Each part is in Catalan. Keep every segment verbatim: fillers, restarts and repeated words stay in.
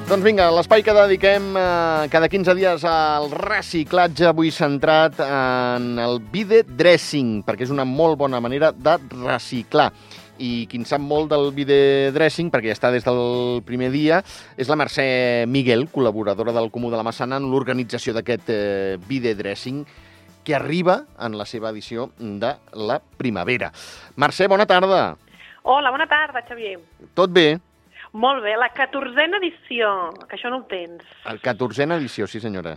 Doncs vinga, l'espai que dediquem eh, cada quinze dies al reciclatge, avui centrat en el vide dressing, perquè és una molt bona manera de reciclar. I qui en sap molt del vide dressing, perquè ja està des del primer dia, és la Mercè Miguel, col·laboradora del Comú de la Massana en l'organització d'aquest eh, vide dressing, que arriba en la seva edició de la primavera. Mercè, bona tarda. Hola, bona tarda, Xavier. Tot bé? Molt bé, la catorzena edició, que això no ho tens. El catorzena edició, sí senyora.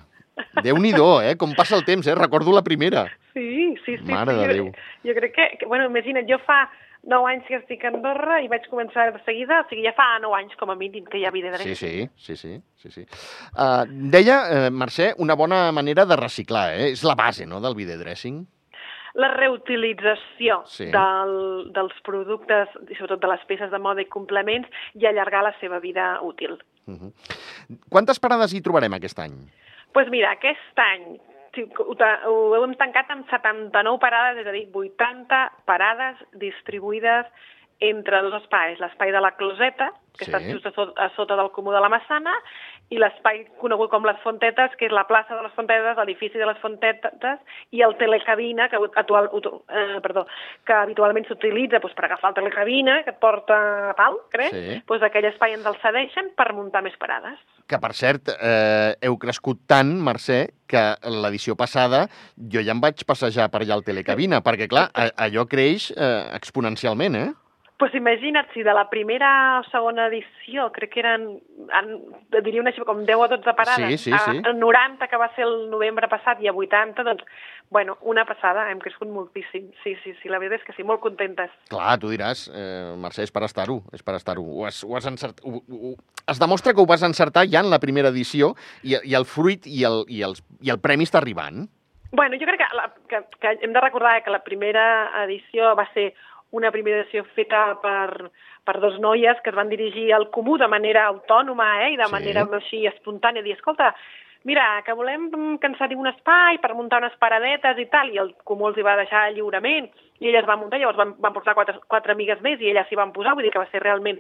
Déu-n'hi-do, eh? Com passa el temps, eh? Recordo la primera. Sí, sí, sí. Mare sí. de Jo, Déu. jo crec que, que, bueno, imagina't, jo fa nou anys que estic a Andorra i vaig començar de seguida, o sigui, ja fa nou anys com a mínim que hi ha vide dressing. Sí, sí, sí, sí. sí, sí. Uh, deia, uh, Mercè, una bona manera de reciclar, eh? És la base, no?, del vide dressing. La reutilització Sí. del, dels productes, i sobretot de les peces de moda i complements, i allargar la seva vida útil. Uh -huh. Quantes parades hi trobarem aquest any? Doncs pues mira, aquest any sí, ho, ho hem tancat amb setanta-nou parades, és a dir, vuitanta parades distribuïdes entre dos espais, l'espai de la Closeta, que Sí. està just a sota, a sota del Comú de la Massana, i l'espai conegut com les Fontetes, que és la plaça de les Fontetes, l'edifici de les Fontetes, i el telecabina, que, actual, eh, perdó, que habitualment s'utilitza doncs, per agafar el telecabina, que et porta a pal, crec, Sí. doncs aquell espai ens el cedeixen per muntar més parades. Que, per cert, eh, heu crescut tant, Mercè, que l'edició passada jo ja em vaig passejar per allà al telecabina, perquè, clar, a, allò creix eh, exponencialment, eh? Doncs pues imagina't, si de la primera o segona edició, crec que eren, en, diria una xifra com deu o dotze parades, Sí, sí, sí. a noranta, que va ser el novembre passat, i a vuitanta, doncs, bueno, una passada, hem crescut moltíssim. Sí, sí, sí, la veritat és que sí, molt contentes. Clar, tu diràs, eh, Mercè, és per estar-ho, és per estar-ho. Ho has, ho has encert... ho, ho... Es demostra que ho vas encertar ja en la primera edició i, i el fruit i el, i, els, i el premi està arribant. Bueno, jo crec que, la, que, que hem de recordar que la primera edició va ser una primera edició feta per, per dos noies que es van dirigir al Comú de manera autònoma eh, i de Sí. manera així espontània, dir, escolta, mira, que volem que ens cedim un espai per muntar unes paradetes i tal, i el Comú els hi va deixar lliurement, i elles van muntar, llavors van, van portar quatre, quatre amigues més i elles s'hi van posar, vull dir que va ser realment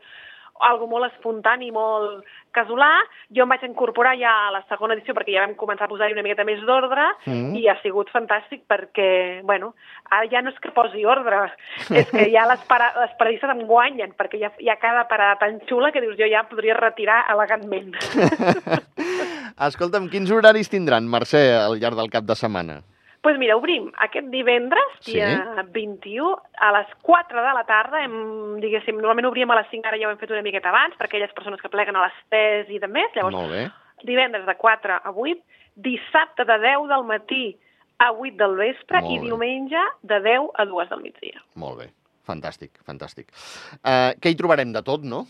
algo molt espontani, molt casolà. Jo em vaig incorporar ja a la segona edició perquè ja vam començar a posar-hi una miqueta més d'ordre Mm. i ha sigut fantàstic perquè, bueno, ara ja no és que posi ordre, és que ja les, para, les paradistes em guanyen, perquè ja hi ha cada parada tan xula que dius jo ja podria retirar elegantment. Escolta'm, quins horaris tindran, Mercè, al llarg del cap de setmana? Doncs pues mira, obrim aquest divendres, dia Sí. vint-i-u, a les quatre de la tarda, hem, diguéssim, normalment obríem a les cinc, ara ja ho hem fet una miqueta abans, per aquelles persones que pleguen a les tres i de més, llavors Molt bé. divendres de quatre a vuit, dissabte de deu del matí a vuit del vespre Molt i bé. diumenge de deu a dues del migdia. Molt bé. Fantàstic, fantàstic. Uh, què hi trobarem de tot, no?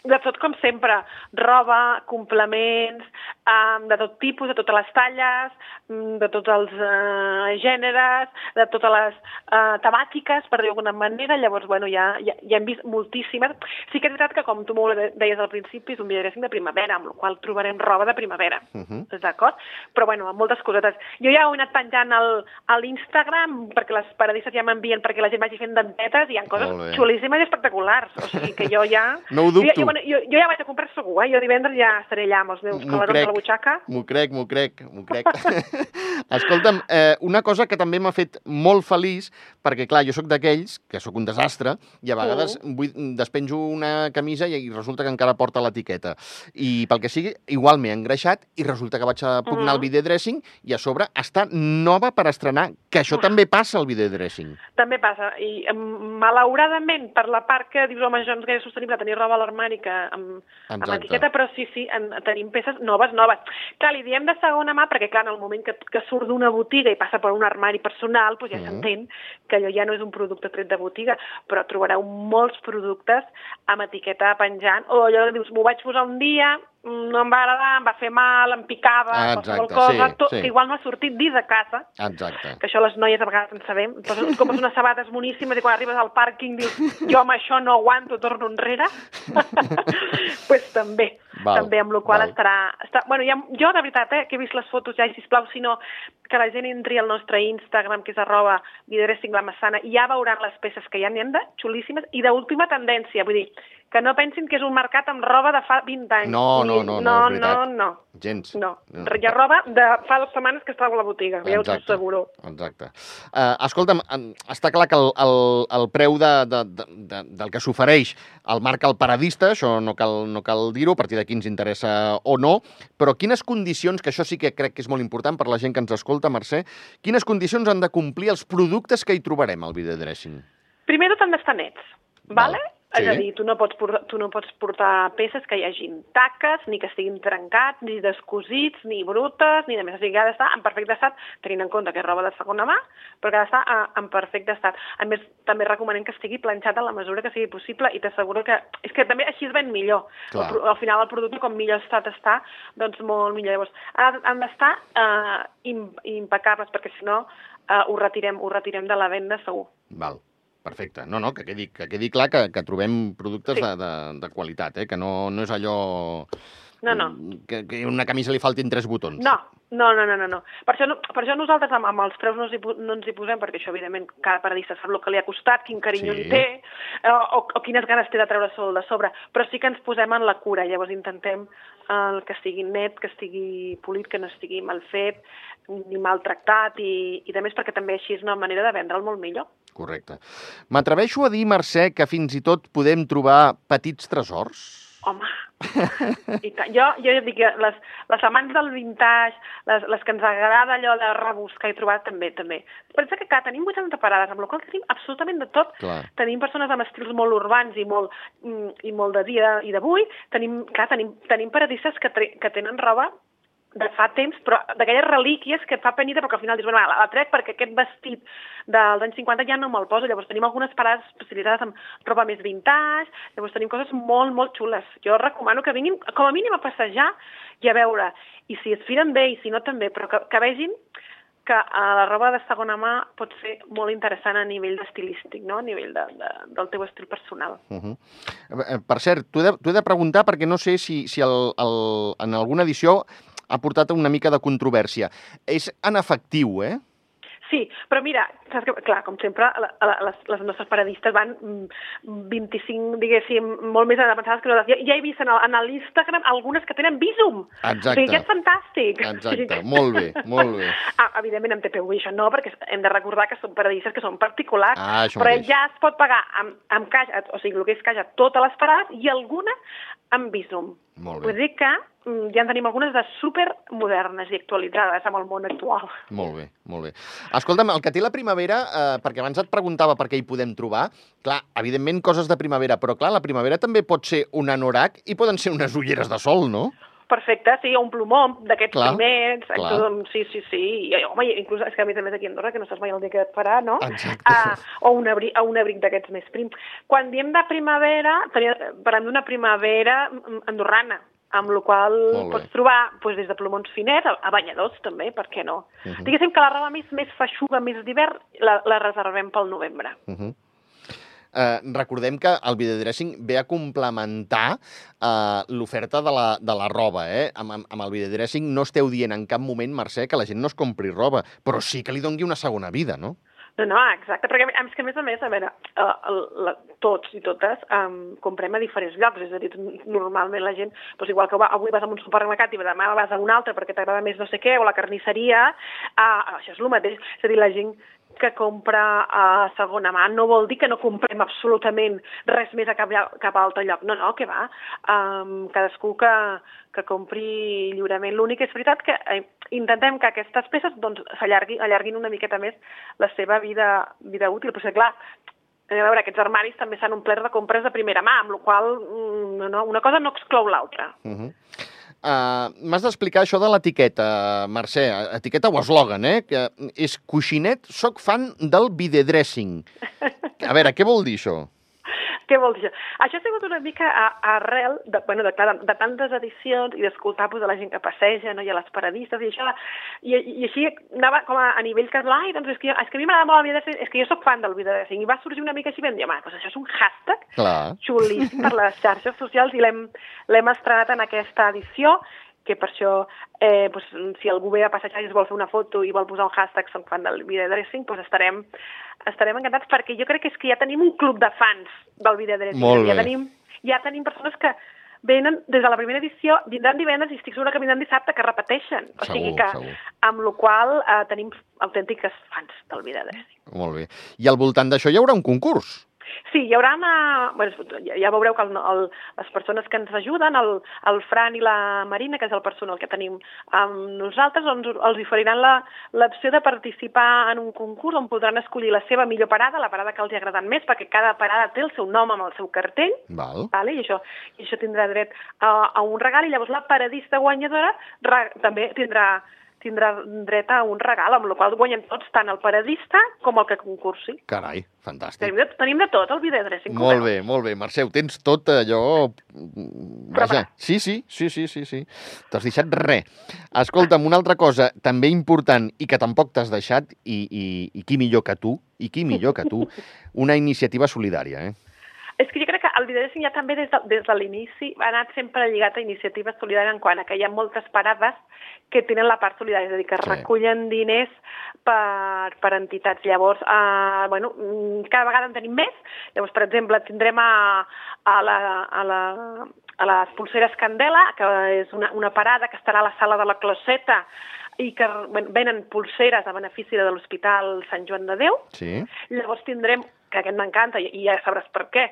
De tot com sempre, roba, complements, um, de tot tipus, de totes les talles, um, de tots els uh, gèneres, de totes les uh, temàtiques, per dir d'alguna manera. Llavors, bueno, ja, ja, ja hem vist moltíssimes. Sí que és veritat que, com tu molt bé deies al principi, és un vide dressing de primavera, amb la qual cosa trobarem roba de primavera, Uh -huh. d'acord? Però, bueno, amb moltes cosetes. Jo ja ho he anat penjant al, a l'Instagram, perquè les paradistes ja m'envien perquè la gent vagi fent dentetes, i hi ha coses Molt bé. xulíssimes i espectaculars. O sigui que jo ja... No ho dubto. Jo, jo, bueno, jo, jo ja vaig a comprar segur, eh? Jo divendres ja estaré allà amb els meus M'ho calarons crec. a la butxaca. M'ho crec, m'ho crec, m'ho crec. Escolta'm, eh, una cosa que també m'ha fet molt feliç, perquè, clar, jo sóc d'aquells, que sóc un desastre, i a vegades Mm. vull, despenjo una camisa i, i resulta que encara porta l'etiqueta. I pel que sigui, igual m'he engreixat i resulta que vaig a pugnar el Mm. vide dressing i a sobre està nova per estrenar, que això també passa al vide dressing. També passa. I em, malauradament, per la part que dius, home, això no és sostenible tenir roba a l'armari que amb, amb Exacte. etiqueta, però sí, sí, en, tenim peces noves, noves. Clar, li diem de segona mà perquè, clar, en el moment que, que surt d'una botiga i passa per un armari personal, doncs ja Mm. s'entén que allò ja no és un producte tret de botiga, però trobareu molts productes amb etiqueta penjant, o allò que dius, m'ho vaig posar un dia, no em va agradar, em va fer mal, em picava, Ah, qualsevol exacte, cosa, sí, tot, sí. que igual no ha sortit dins de casa, Exacte. que això les noies a vegades en sabem, poses, compres unes sabates boníssimes i quan arribes al pàrquing dius, jo amb això no aguanto, torno enrere. Doncs pues també, Val, també, amb la qual val. estarà... Està, bueno, ja, jo, de veritat, eh, que he vist les fotos ja, i sisplau, si no, que la gent entri al nostre Instagram, que és arroba vidressing la Massana, i ja veuran les peces que ja n'hi ha de xulíssimes i d'última tendència, vull dir, que no pensin que és un mercat amb roba de fa vint anys. No, no, no, no, no, és veritat. no, no. Gens. No, hi ha roba de fa dues setmanes que estava a la botiga, ja us ho asseguro. Exacte. Uh, escolta'm, està clar que el, el, el preu de, de, de, de, del que s'ofereix el marca el paradista, això no cal, no cal dir-ho, a partir d'aquí ens interessa o no, però quines condicions, que això sí que crec que és molt important per la gent que ens escolta, Mercè, quines condicions han de complir els productes que hi trobarem al videodressing? Primer tot han d'estar nets, vale? Val. Sí. És a dir, tu no, pots portar, tu no pots portar peces que hi hagin taques, ni que estiguin trencats, ni descosits, ni brutes, ni de més. O sigui, ha d'estar en perfecte estat, tenint en compte que és roba de segona mà, però que ha d'estar en perfecte estat. A més, també recomanem que estigui planxat en la mesura que sigui possible i t'asseguro que... És que també així es ven millor. Al, al final el producte, com millor estat està, doncs molt millor. Llavors, han d'estar eh, impecables, perquè si no eh, ho, retirem, ho retirem de la venda segur. Val. Perfecte. No, no, que quedi, que quedi clar que, que trobem productes sí. de, de, de qualitat, eh? Que no, no és allò... No, no. Que, que a una camisa li faltin tres botons. No, no, no, no, no. Per això, no, per això nosaltres amb, amb els preus no ens, hi, no ens hi posem, perquè això, evidentment, cada paradista sap el que li ha costat, quin carinyo sí. li té, o, o quines ganes té de treure sol de sobre, però sí que ens posem en la cura, llavors intentem eh, que estigui net, que estigui polit, que no estigui mal fet, ni maltractat, i, i també és perquè també així és una manera de vendre'l molt millor. Correcte. M'atreveixo a dir, Mercè, que fins i tot podem trobar petits tresors? Home, i jo, jo dic que les, les amants del vintage, les, les que ens agrada allò de rebuscar i trobar, també, també. Pensa que, clar, tenim vuitanta parades, amb la qual tenim absolutament de tot. Clar. Tenim persones amb estils molt urbans i molt, i molt de dia i d'avui. Tenim, clar, tenim, tenim paradistes que, que tenen roba de fa temps, però d'aquelles relíquies que et fa penita, perquè al final dius, bueno, la, la trec perquè aquest vestit dels anys cinquanta ja no me'l poso. Llavors tenim algunes parades especialitzades amb roba més vintage, llavors tenim coses molt, molt xules. Jo recomano que vinguin, com a mínim, a passejar i a veure, i si es firen bé i si no també, però que, que vegin que la roba de segona mà pot ser molt interessant a nivell estilístic, no? A nivell de, de, del teu estil personal. Uh-huh. Per cert, t'ho he, he de preguntar perquè no sé si, si el, el, en alguna edició ha portat una mica de controvèrsia. És en efectiu, eh? Sí, però mira, saps que, clar, com sempre, la, la, les, les nostres paradistes van vint-i-cinc, diguéssim, molt més avançades que nosaltres. Ja, ja he vist en, el, en l'Instagram algunes que tenen Visum. Exacte. O sigui, que és fantàstic. Exacte, molt bé, molt bé. Ah, evidentment, amb T P U això no, perquè hem de recordar que són paradistes que són particulars, ah, però ja es pot pagar amb, amb caix, o sigui, el que és caix a totes les parades i alguna amb Visum. Molt bé. Vull dir que ja en tenim algunes de supermodernes i actualitzades amb el món actual. Molt bé, molt bé. Escolta'm, el que té la primavera, eh, perquè abans et preguntava per què hi podem trobar, clar, evidentment coses de primavera, però clar, la primavera també pot ser un anorac i poden ser unes ulleres de sol, no? Perfecte, sí, un plomó d'aquests primers, clar. Tot, sí, sí, sí, i, home, inclús, és que a més a més aquí a Andorra, que no saps mai el dia que et farà, no? Exacte. Uh, o un abric, un abric d'aquests més prims. Quan diem de primavera, parlem d'una primavera andorrana, amb la qual pots trobar doncs, des de plomons finets a, a banyadors també, per què no? Uh -huh. Diguéssim que la roba més, més feixuga, més d'hivern, la, la reservem pel novembre. Uh -huh. Uh, recordem que el videodressing ve a complementar uh, l'oferta de, la, de la roba, eh? Amb, amb, amb el videodressing no esteu dient en cap moment, Mercè, que la gent no es compri roba, però sí que li doni una segona vida, no? No, no, exacte, perquè és que a més a més, a veure, uh, la, tots i totes um, comprem a diferents llocs, és a dir, normalment la gent, doncs igual que va, avui vas a un supermercat i demà vas a un altre perquè t'agrada més no sé què, o la carnisseria, uh, això és el mateix, és a dir, la gent que compra a segona mà no vol dir que no comprem absolutament res més a cap, cap altre lloc. No, no, que va. Um, cadascú que, que compri lliurement. L'únic és veritat que eh, intentem que aquestes peces doncs, s'allarguin allarguin una miqueta més la seva vida, vida útil. Però, clar, a veure, aquests armaris també s'han omplert de compres de primera mà, amb la qual cosa no, una cosa no exclou l'altra. Uh-huh. Uh, M'has d'explicar això de l'etiqueta, Mercè, etiqueta o eslògan, eh? Que és coixinet, soc fan del videodressing. A veure, què vol dir això? Què vol dir això? Això ha sigut una mica arrel de, bueno, de, de, de tantes edicions i d'escoltar pues, de la gent que passeja, no? I a les paradistes i això. I, i així anava com a, a nivell casual, ai, doncs és que, és que a mi m'agrada molt el videodressing, és que jo soc fan del videodressing. I va sorgir una mica així i vam dir, home, doncs això és un hashtag Clar. xulíssim per les xarxes socials i l'hem estrenat en aquesta edició, que per això, eh, pues, si algú ve a passejar i es vol fer una foto i vol posar un hashtag soc fan del videodressing, doncs estarem, estarem encantats, perquè jo crec que és que ja tenim un club de fans del videodressing. Molt bé. Ja tenim, ja tenim persones que venen des de la primera edició, vindran divendres i estic segura que vindran dissabte, que repeteixen. O Segur, sigui que, segur. amb la qual eh, tenim autèntiques fans del Vida Dressing. Molt bé. I al voltant d'això hi haurà un concurs? Sí, hi haurà una... Bueno, ja, ja veureu que el, el, les persones que ens ajuden, el, el Fran i la Marina, que és el personal que tenim amb nosaltres, doncs els oferiran l'opció de participar en un concurs on podran escollir la seva millor parada, la parada que els ha agradat més, perquè cada parada té el seu nom amb el seu cartell, Val. vale? I, això, i això tindrà dret a, a un regal, i llavors la paradista guanyadora re, també tindrà tindrà dret a un regal, amb la qual guanyem tots, tant el paradista com el que concursi. Carai, fantàstic. Tenim de, tenim de tot, el Vida Dressing. Molt bé, molt bé. Mercè, ho tens tot allò... Vaja, sí, sí, sí, sí, sí, sí. T'has deixat res. Escolta'm, una altra cosa també important i que tampoc t'has deixat, i, i, i qui millor que tu, i qui millor que tu, una iniciativa solidària, eh? És que jo crec que el Vida Dressing ja també des de, des de l'inici ha anat sempre lligat a iniciatives solidàries en quant a que hi ha moltes parades que tenen la part solidària, és a dir, que sí. recullen diners per, per entitats. Llavors, eh, bueno, cada vegada en tenim més. Llavors, per exemple, tindrem a, a, la, a, la, a les Polseres Candela, que és una, una parada que estarà a la sala de la Closeta, i que venen polseres a benefici de l'Hospital Sant Joan de Déu. Sí. Llavors tindrem, que aquest m'encanta, i ja sabràs per què,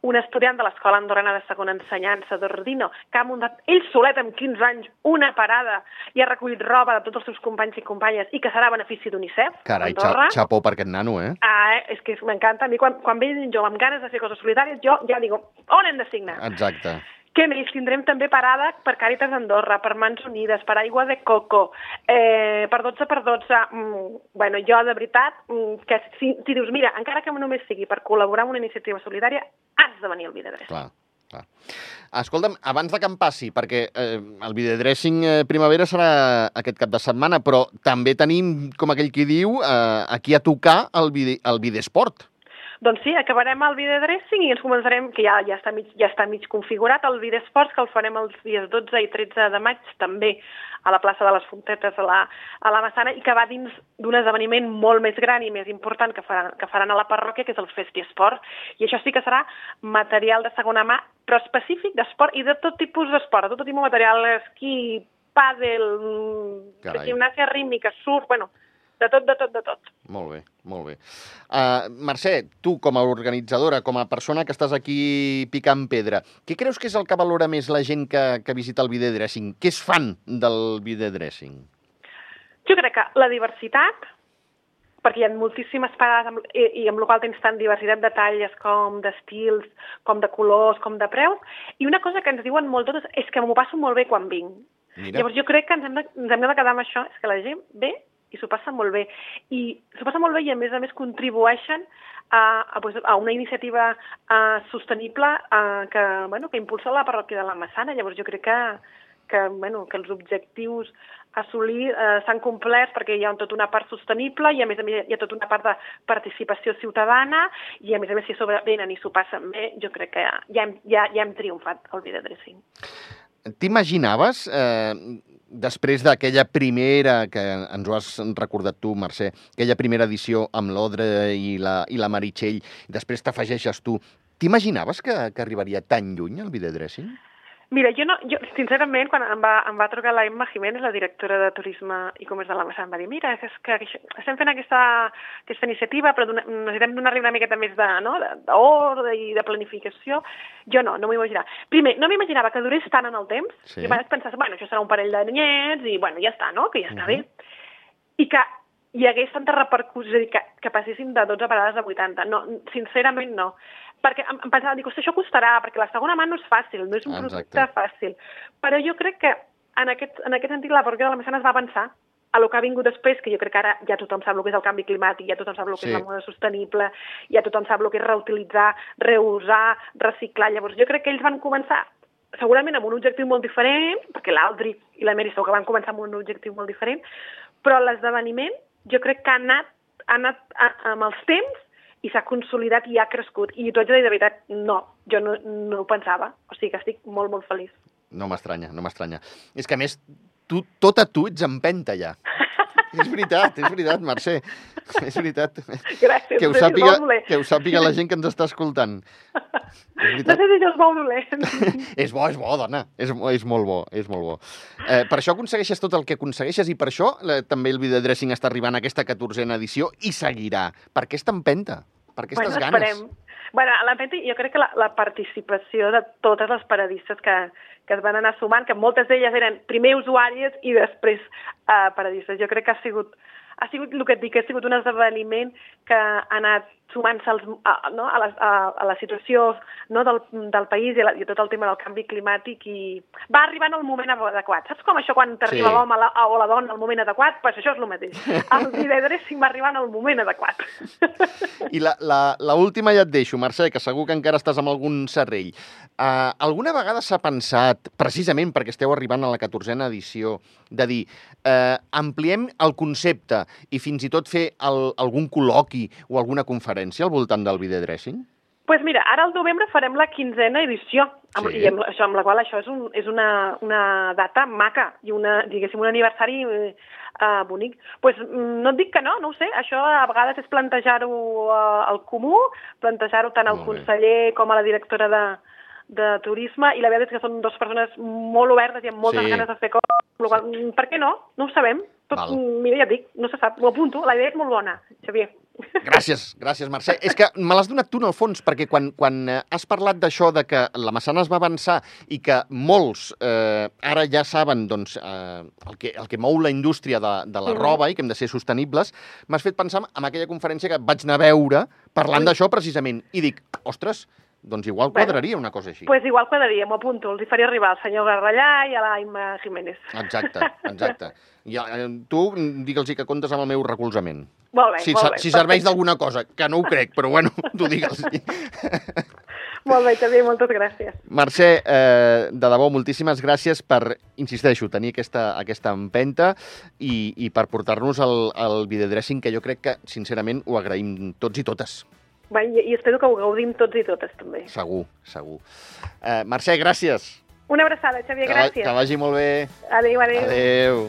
un estudiant de l'Escola Andorrana de Segona Ensenyança d'Ordino, que ha muntat ell solet amb quinze anys una parada i ha recollit roba de tots els seus companys i companyes i que serà a benefici d'UNICEF. Carai, xapó per aquest nano, eh? Ah, és que m'encanta. A mi, quan, quan ve jo amb ganes de fer coses solidàries, jo ja digo, on hem de signar? Exacte. Què més? Tindrem també parada per Càritas Andorra, per Mans Unides, per Aigua de Coco, eh, per dotze per dotze. Mm, bueno, jo, de veritat, mm, que si, si dius, mira, encara que només sigui per col·laborar amb una iniciativa solidària, has de venir al Vida Dressing. Clar, clar. Escolta'm, abans de que em passi, perquè eh, el Vida Dressing eh, Primavera serà aquest cap de setmana, però també tenim, com aquell qui diu, eh, aquí a tocar el, vide, el Videsport. Doncs sí, acabarem el Vida Dressing i ens començarem, que ja, ja, està mig, ja està mig configurat, el Vida Esports, que el farem els dies dotze i tretze de maig, també a la plaça de les Fontetes, a la, a la Massana, i que va dins d'un esdeveniment molt més gran i més important que faran, que faran a la parròquia, que és el Festi Esport. I això sí que serà material de segona mà, però específic d'esport i de tot tipus d'esport, de tot tipus de material, esquí, pàdel, gimnàsia rítmica, surf, bueno, de tot, de tot, de tot. Molt bé, molt bé. Uh, Mercè, tu com a organitzadora, com a persona que estàs aquí picant pedra, què creus que és el que valora més la gent que, que visita el Vida Dressing? Què és fan del Vida Dressing? Jo crec que la diversitat, perquè hi ha moltíssimes parades amb, i, i amb la qual tens tant diversitat de talles com d'estils, com de colors, com de preus, i una cosa que ens diuen molt totes és que m'ho passo molt bé quan vinc. Mira. Llavors jo crec que ens hem, de, ens hem de quedar amb això, és que la gent ve i s'ho passa molt bé. I s'ho passa molt bé i, a més a més, contribueixen a, a, a una iniciativa a, sostenible a, que, bueno, que impulsa la parròquia de la Massana. Llavors, jo crec que, que, bueno, que els objectius a assolir eh, s'han complert perquè hi ha tota una part sostenible i, a més a més, hi ha tota una part de participació ciutadana i, a més a més, si sobre venen i s'ho passen bé, jo crec que ja, ja, hem, ja, ja hem triomfat al Vida Dressing. T'imaginaves, eh, després d'aquella primera, que ens ho has recordat tu, Mercè, aquella primera edició amb l'Odre i la, i la Meritxell, i després t'afegeixes tu, t'imaginaves que, que arribaria tan lluny el Vida Dressing? Mira, jo, no, jo sincerament, quan em va, em va trucar la Emma Jiménez, la directora de Turisme i Comerç de la Massana, em va dir, mira, és que estem fent aquesta, aquesta iniciativa, però dona, necessitem donar-li una miqueta més de, no, d'ordre i de planificació. Jo no, no m'ho imaginava. Primer, no m'imaginava que durés tant en el temps, sí. I vaig pensar, bueno, això serà un parell d'anyets i, bueno, ja està, no?, que ja està uh-huh. bé. I que hi hagués tanta repercussió, és a dir, que, que passéssim de dotze parades a vuitanta. No, sincerament no. Perquè em, em pensava, dic, això costarà, perquè la segona mà no és fàcil, no és un Exacte. producte fàcil. Però jo crec que en aquest, en aquest sentit la parròquia de la Massana es va pensar a lo que ha vingut després, que jo crec que ara ja tothom sap el que és el canvi climàtic, ja tothom sap el que sí. és la moda sostenible, ja tothom sap el que és reutilitzar, reusar, reciclar. Llavors jo crec que ells van començar segurament amb un objectiu molt diferent, perquè l'Aldric i la Mary segur que van començar amb un objectiu molt diferent, però l'esdeveniment jo crec que ha anat, ha anat a, amb els temps i s'ha consolidat i ha crescut. I t'ho haig de dir de veritat, no, jo no, no ho pensava. O sigui que estic molt, molt feliç. No m'estranya, no m'estranya. És que, a més, tu, tot a tu ets empenta, ja. És veritat, és veritat, Mercè. És veritat. Gràcies. Que ho sàpiga, que ho sàpiga la gent que ens està escoltant. No sé si això és bo o dolent. És bo, és bo, dona. És, és molt bo, és molt bo. Eh, per això aconsegueixes tot el que aconsegueixes i per això eh, també el videodressing està arribant a aquesta catorzena edició i seguirà. Per aquesta empenta? Per aquestes bueno, ganes? Esperem. Bueno, a l'empenta jo crec que la, la participació de totes les paradistes que, que es van anar sumant, que moltes d'elles eren primer usuàries i després eh, paradistes. Jo crec que ha sigut, ha sigut el que et dic, ha sigut un esdeveniment que ha anat sumant-se als, a, no, a, la, a, a la situació no, del, del país i, la, i tot el tema del canvi climàtic i va arribar en el moment adequat. Saps com això quan t'arriba sí. l'home o la dona al moment adequat? Doncs pues això és el mateix. El videodressing va arribar en el moment adequat. I la, la, la última ja et deixo, Mercè, que segur que encara estàs amb algun serrell. Uh, alguna vegada s'ha pensat, precisament perquè esteu arribant a la catorzena edició, de dir, uh, ampliem el concepte i fins i tot fer el, algun col·loqui o alguna conferència al voltant del videodressing? Doncs pues mira, ara al novembre farem la quinzena edició, amb, sí. i amb, això, amb la qual això és, un, és una, una data maca i una, diguéssim, un aniversari eh, bonic. Pues, no et dic que no, no ho sé, això a vegades és plantejar-ho eh, al comú, plantejar-ho tant al conseller com a la directora de, de turisme, i la veritat és que són dues persones molt obertes i amb moltes sí. ganes de fer coses. Per què no? No ho sabem. Tot, mira, ja et dic, no se sap, ho apunto, la idea és molt bona, Xavier. Gràcies, gràcies, Mercè. És que me l'has donat tu, en el fons, perquè quan, quan has parlat d'això, de que la Maçana es va avançar i que molts eh, ara ja saben doncs, eh, el, que, el que mou la indústria de, de la roba i que hem de ser sostenibles, m'has fet pensar en aquella conferència que vaig anar a veure parlant d'això precisament. I dic, ostres, doncs igual quadraria una cosa així. Doncs pues igual quadraria, m'ho apunto. Els hi faria arribar al senyor Garrallà i a la Imma Jiménez. Exacte, exacte. I eh, tu digue'ls que comptes amb el meu recolzament. Molt bé, si, molt bé. Si serveix d'alguna cosa, que no ho crec, però bueno, tu digue'ls. Molt bé, Xavier, moltes gràcies. Mercè, eh, de debò, moltíssimes gràcies per, insisteixo, tenir aquesta, aquesta empenta i, i per portar-nos el, el videodressing, que jo crec que, sincerament, ho agraïm tots i totes. Bé, i, i espero que ho gaudim tots i totes, també. Segur, segur. Eh, Mercè, gràcies. Una abraçada, Xavier, gràcies. Que, que vagi molt bé. Adéu, adéu. Adéu.